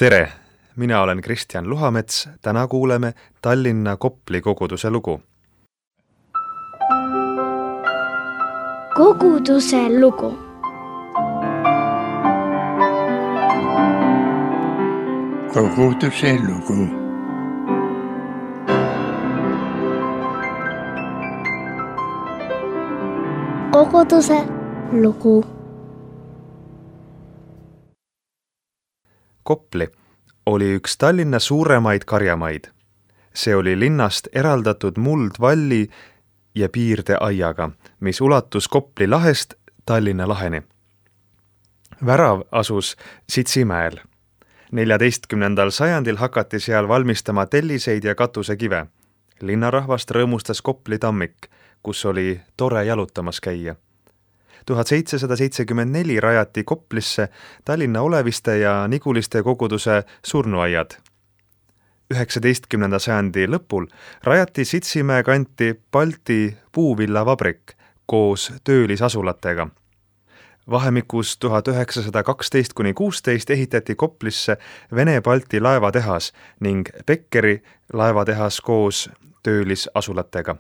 Tere! Mina olen Kristjan Luhamets. Täna kuuleme Tallinna Kopli koguduse lugu. Koguduse lugu. Koguduse lugu. Koguduse lugu. Kopli oli üks Tallinna suuremaid karjamaid. See oli linnast eraldatud muldvalli ja piirdeaiaga, mis ulatus Kopli lahest Tallinna laheni. Värav asus Sitsimäel. 14. sajandil hakati seal valmistama telliseid ja katusekive. Linnarahvast rõõmustas Kopli tammik, kus oli tore jalutamas käia. 1774 rajati Koplisse Tallinna Oleviste ja Niguliste koguduse surnuaiad. 19. sajandi lõpul rajati Sitsimäe kanti Balti puuvillavabrik koos töölisasulatega. Vahemikus 1912–16 ehitati Koplisse Vene-Balti laevatehas ning Beckeri laevatehas koos töölisasulatega.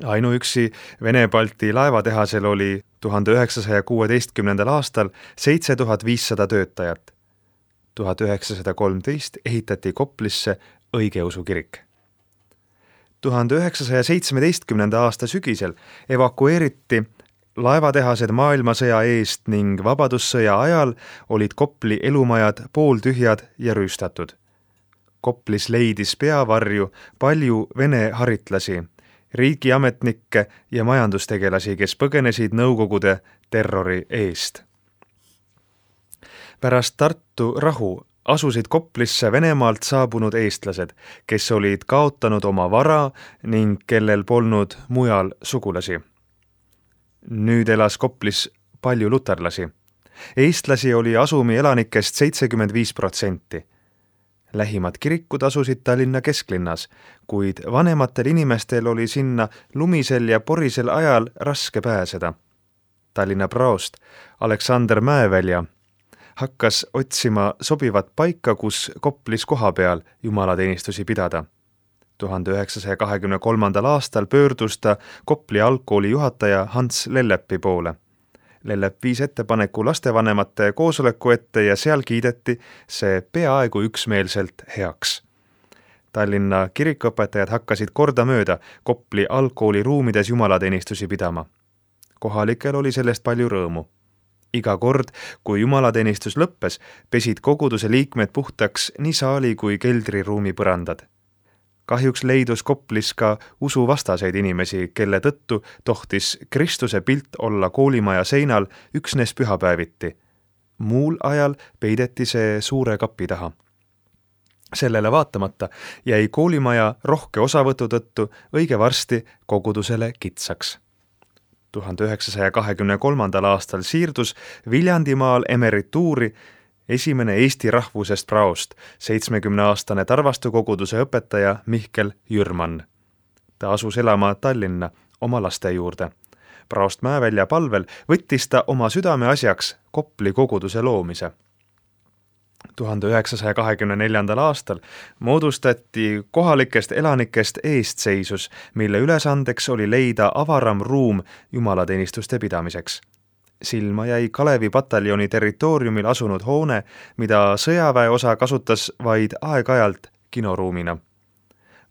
Ainuüksi Vene-Balti laevatehasel oli 1916. aastal 7500 töötajat. 1913 ehitati Koplisse õigeusu kirik. 1917. aasta sügisel evakueeriti laevatehased maailmasõja eest ning vabadussõja ajal olid Kopli elumajad pooltühjad ja rüüstatud. Koplis leidis peavarju palju vene haritlasi, riigiametnikke ja majandustegelasi, kes põgenesid Nõukogude terrori eest. Pärast Tartu rahu asusid Koplisse Venemaalt saabunud eestlased, kes olid kaotanud oma vara ning kellel polnud mujal sugulasi. Nüüd elas Koplis palju luterlasi. Eestlasi oli asumi elanikest 75%. Lähimad kirikud asusid Tallinna kesklinnas, kuid vanematel inimestel oli sinna lumisel ja porisel ajal raske pääseda. Tallinna praost Aleksander Mäevälja hakkas otsima sobivat paika, kus Koplis kohapeal jumalateenistusi pidada. 1923. aastal pöördus ta Kopli algkooli juhataja Hans Lellepi poole. Lellep viis ettepaneku lastevanemate koosoleku ette ja seal kiideti see peaaegu üksmeelselt heaks. Tallinna kirikuõpetajad hakkasid kordamööda Kopli algkooli ruumides jumalateenistusi pidama. Kohalikel oli sellest palju rõõmu. Iga kord, kui jumalateenistus lõppes, pesid koguduse liikmed puhtaks nii saali kui keldriruumi põrandad. Kahjuks leidus Koplis ka usuvastaseid inimesi, kelle tõttu tohtis Kristuse pilt olla koolimaja seinal üksnes pühapäeviti. Muul ajal peideti see suure kapi taha. Sellele vaatamata jäi koolimaja rohke osavõtu tõttu õige varsti kogudusele kitsaks. 1923. aastal siirdus Viljandimaal emerituuri esimene eesti rahvusest praost, 70-aastane Tarvastu koguduse õpetaja Mihkel Jürman. Ta asus elama Tallinna oma laste juurde. Praost Mäevälja palvel võttis ta oma südame asjaks Kopli koguduse loomise. 1924. aastal moodustati kohalikest elanikest eestseisus, mille ülesandeks oli leida avaram ruum jumalateenistuste pidamiseks. Silma jäi Kalevi pataljoni territooriumil asunud hoone, mida sõjaväeosa kasutas vaid aeg-ajalt kinoruumina.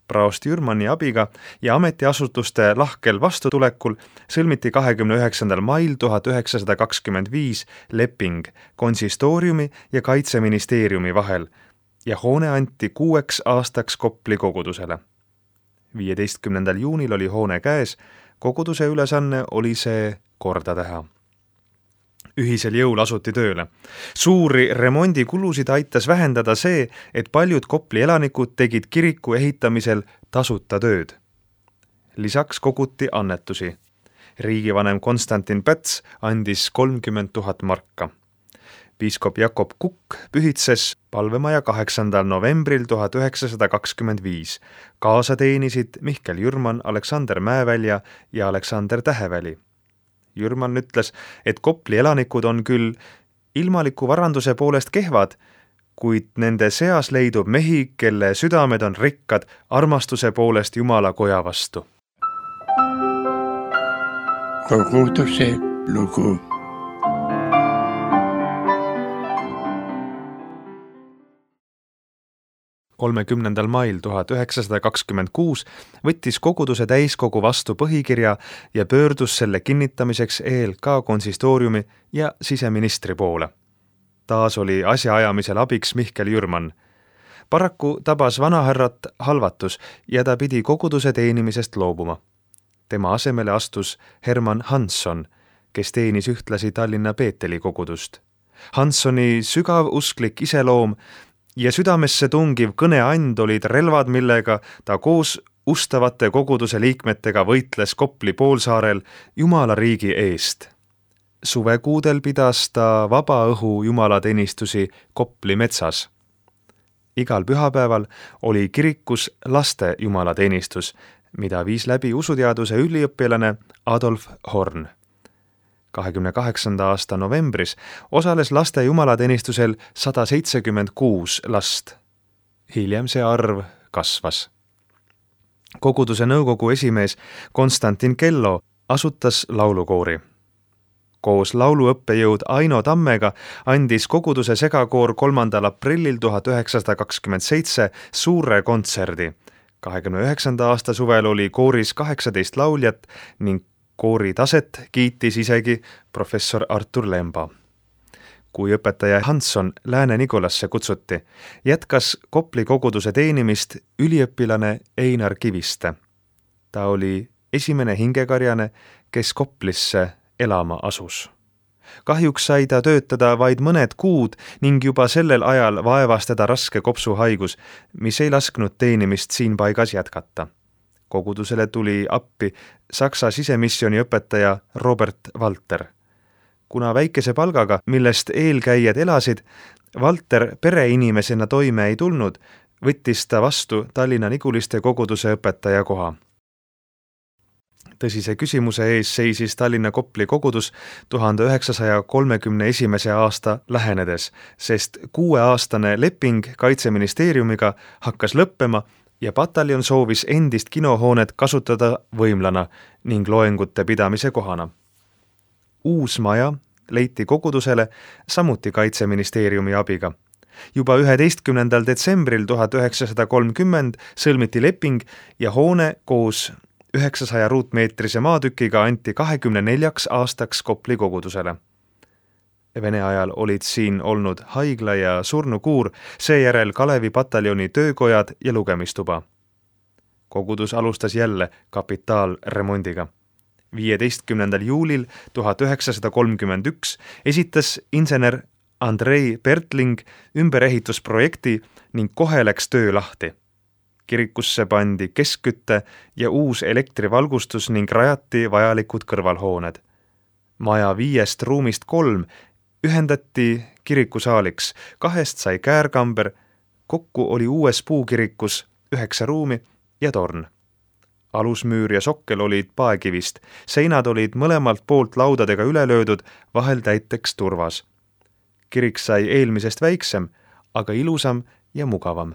Praost Jürmani abiga ja ametiasutuste lahkel vastutulekul sõlmiti 29. mail 1925 leping konsistooriumi ja kaitseministeeriumi vahel ja hoone anti 6 aastaks Kopli kogudusele. 15. juunil oli hoone käes, koguduse ülesanne oli see korda teha. Ühisel jõul asuti tööle. Suuri remondikulusid aitas vähendada see, et paljud Kopli elanikud tegid kiriku ehitamisel tasuta tööd. Lisaks koguti annetusi. Riigivanem Konstantin Päts andis 30 000 marka. Piiskop Jakob Kukk pühitses palvemaja 8. novembril 1925. Kaasa teenisid Mihkel Jürman, Aleksander Mäevälja ja Aleksander Täheväli. Jürman ütles, et Kopli elanikud on küll ilmaliku varanduse poolest kehvad, kuid nende seas leidub mehi, kelle südamed on rikkad armastuse poolest Jumala koja vastu. Koguduse lugu. Mail 1926 võttis koguduse täiskogu vastu põhikirja ja pöördus selle kinnitamiseks ELK konsistooriumi ja siseministri poole. Taas oli asjaajamisel abiks Mihkel Jürman. Paraku tabas vanahärrat halvatus ja ta pidi koguduse teenimisest loobuma. Tema asemele astus Herman Hansson, kes teenis ühtlasi Tallinna Peeteli kogudust. Hanssoni sügav usklik iseloom ja südamesse tungiv kõneand olid relvad, millega ta koos ustavate koguduse liikmetega võitles Kopli poolsaarel Jumala riigi eest. Suvekuudel pidas ta vabaõhu jumalateenistusi Kopli metsas. Igal pühapäeval oli kirikus laste jumalateenistus, mida viis läbi usuteaduse üliõpilane Adolf Horn. 28. aasta novembris osales laste jumalateenistusel 176 last. Hiljem see arv kasvas. Koguduse nõukogu esimees Konstantin Kello asutas laulukoori. Koos lauluõppejõud Aino Tammega andis koguduse segakoor 3. aprillil 1927 suure kontserdi. 29. aasta suvel oli kooris 18 lauljat ning koori taset kiitis isegi professor Artur Lemba. Kui õpetaja Hansson Lääne-Nikolasse kutsuti, jätkas Kopli koguduse teenimist üliõpilane Einar Kiviste. Ta oli esimene hingekarjane, kes Koplisse elama asus. Kahjuks sai ta töötada vaid mõned kuud ning juba sellel ajal vaevas teda raske kopsuhaigus, mis ei lasknud teenimist siin paigas jätkata. Kogudusele tuli appi Saksa sisemissiooni õpetaja Robert Walter. Kuna väikese palgaga, millest eelkäijad elasid, Walter pereinimesena toime ei tulnud, võttis ta vastu Tallinna Niguliste koguduse õpetaja koha. Tõsise küsimuse ees seisis Tallinna Kopli kogudus 1931. aasta lähenedes, sest 6-aastane leping Kaitseministeeriumiga hakkas lõppema ja pataljon soovis endist kinohoonet kasutada võimlana ning loengute pidamise kohana. Uus maja leiti kogudusele samuti Kaitseministeeriumi abiga. Juba 11. detsembril 1930 sõlmiti leping ja hoone koos 900 ruutmeetrise maatükiga anti 24 aastaks Kopli kogudusele. Vene ajal olid siin olnud haigla ja surnukuur, seejärel Kalevi pataljoni töökojad ja lugemistuba. Kogudus alustas jälle kapitaalremondiga. 15. juulil 1931 esitas insener Andrei Pertling ümberehitusprojekti ning kohe läks töö lahti. Kirikusse pandi keskkütte ja uus elektrivalgustus ning rajati vajalikud kõrvalhooned. Maja 5 ruumist 3 ühendati kirikusaaliks, 2 sai käärkamber, kokku oli uues puukirikus 9 ruumi ja torn. Alusmüür ja sokkel olid paekivist, seinad olid mõlemalt poolt laudadega üle löödud, vahel täiteks turvas. Kirik sai eelmisest väiksem, aga ilusam ja mugavam.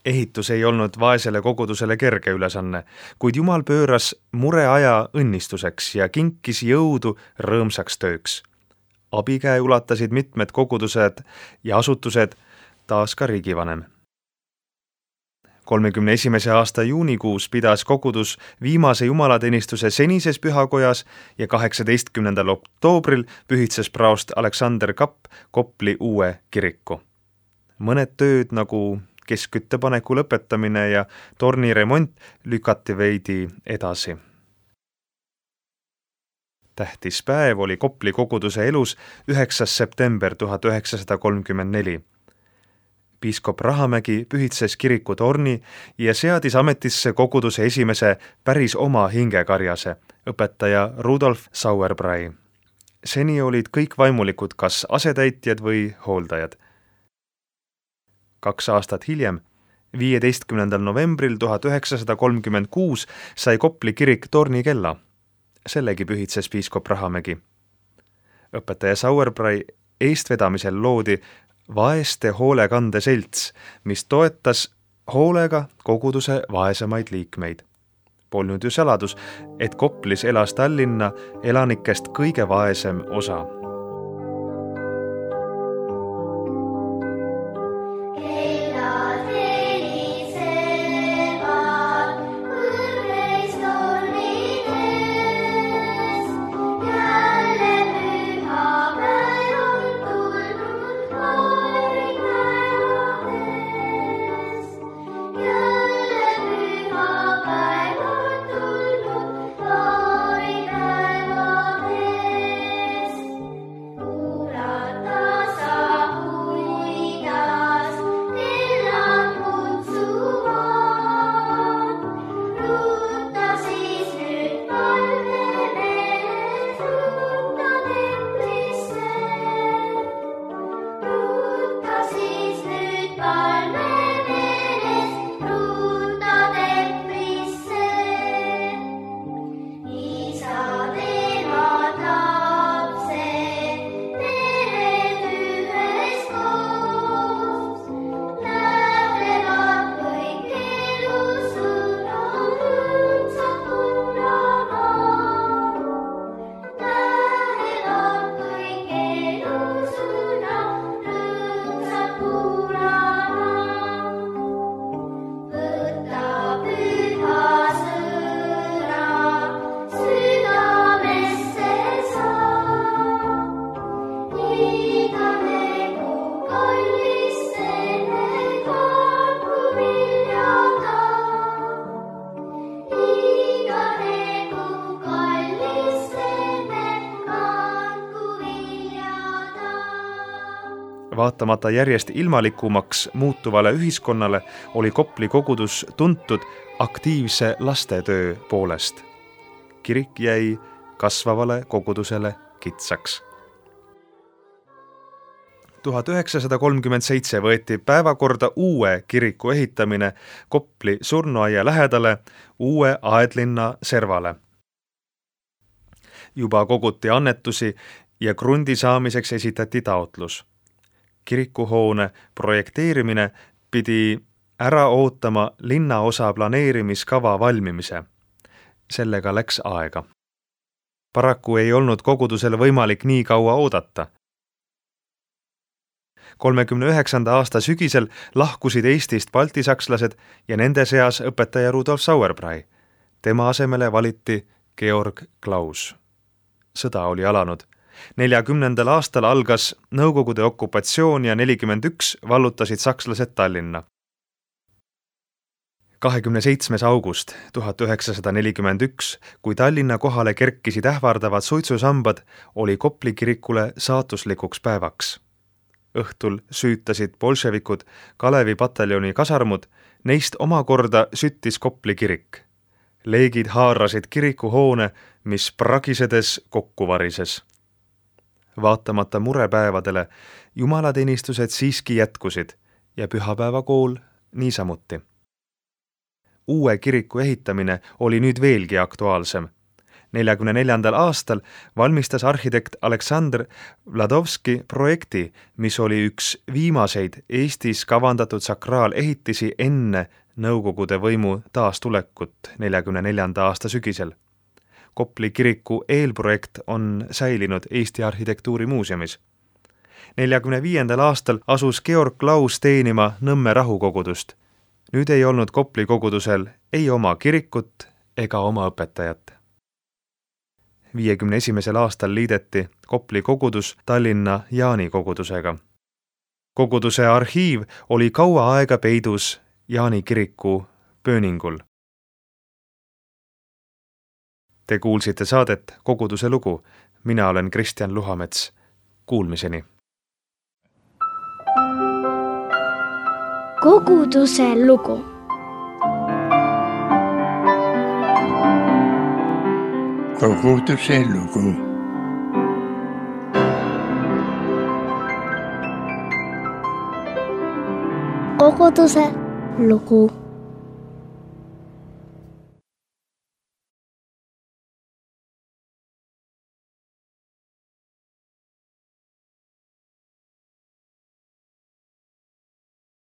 Ehitus ei olnud vaesele kogudusele kerge ülesanne, kuid Jumal pööras mureaja õnnistuseks ja kinkis jõudu rõõmsaks tööks. Abikäe ulatasid mitmed kogudused ja asutused, taas ka riigivanem. 31. aasta juunikuus pidas kogudus viimase jumalateenistuse senises pühakojas ja 18. oktoobril pühitses praost Aleksander Kapp Kopli uue kiriku. Mõned tööd nagu keskküttepaneku lõpetamine ja torni remont lükati veidi edasi. Tähtis päev oli Kopli koguduse elus 9. september 1934. Piiskop Rahamägi pühitses kiriku torni ja seadis ametisse koguduse esimese päris oma hingekarjase, õpetaja Rudolf Sauerbrei. Seni olid kõik vaimulikud kas asetäitjad või hooldajad. 2 aastat hiljem, 15. novembril 1936 sai Kopli kirik tornikella. Sellegi pühitses piiskop Rahamägi. Õpetaja Sauerbrei eestvedamisel loodi vaeste hoolekandeselts, mis toetas hoolega koguduse vaesemaid liikmeid. Polnud ju saladus, et Koplis elas Tallinna elanikest kõige vaesem osa. Vaatamata järjest ilmalikumaks muutuvale ühiskonnale oli Kopli kogudus tuntud aktiivse lastetöö poolest. Kirik jäi kasvavale kogudusele kitsaks. 1937 võeti päevakorda uue kiriku ehitamine Kopli surnuaia lähedale uue Aedlinna servale. Juba koguti annetusi ja krundi saamiseks esitati taotlus. Kirikuhoone projekteerimine pidi ära ootama linnaosa planeerimiskava valmimise. Sellega läks aega. Paraku ei olnud kogudusel võimalik nii kaua oodata. 39. aasta sügisel lahkusid Eestist baltisakslased ja nende seas õpetaja Rudolf Sauerbrei. Tema asemele valiti Georg Klaus. Sõda oli alanud. 40. aastal algas Nõukogude okupatsioon ja 41 vallutasid sakslased Tallinna. 27. august 1941, kui Tallinna kohale kerkisid ähvardavad suitsusambad, oli Kopli kirikule saatuslikuks päevaks. Õhtul süütasid bolševikud Kalevi pataljoni kasarmud, neist omakorda süttis Kopli kirik. Leegid haarasid kirikuhoone, mis pragisedes kokku varises. Vaatamata murepäevadele jumalateenistused siiski jätkusid ja pühapäevakool niisamuti. Uue kiriku ehitamine oli nüüd veelgi aktuaalsem. 44. aastal valmistas arhitekt Aleksandr Vladovski projekti, mis oli üks viimaseid Eestis kavandatud sakraalehitisi enne Nõukogude võimu taastulekut 44. aasta sügisel. Kopli kiriku eelprojekt on säilinud Eesti arhitektuurimuuseumis. 45. aastal asus Georg Klaus teenima Nõmme rahukogudust. Nüüd ei olnud Kopli kogudusel ei oma kirikut ega oma õpetajat. 51. aastal liideti Kopli kogudus Tallinna Jaani kogudusega. Koguduse arhiiv oli kaua aega peidus Jaani kiriku pööningul. Te kuulsite saadet Koguduse lugu. Mina olen Kristjan Luhamets. Kuulmiseni. Koguduse lugu. Koguduse lugu. Koguduse lugu.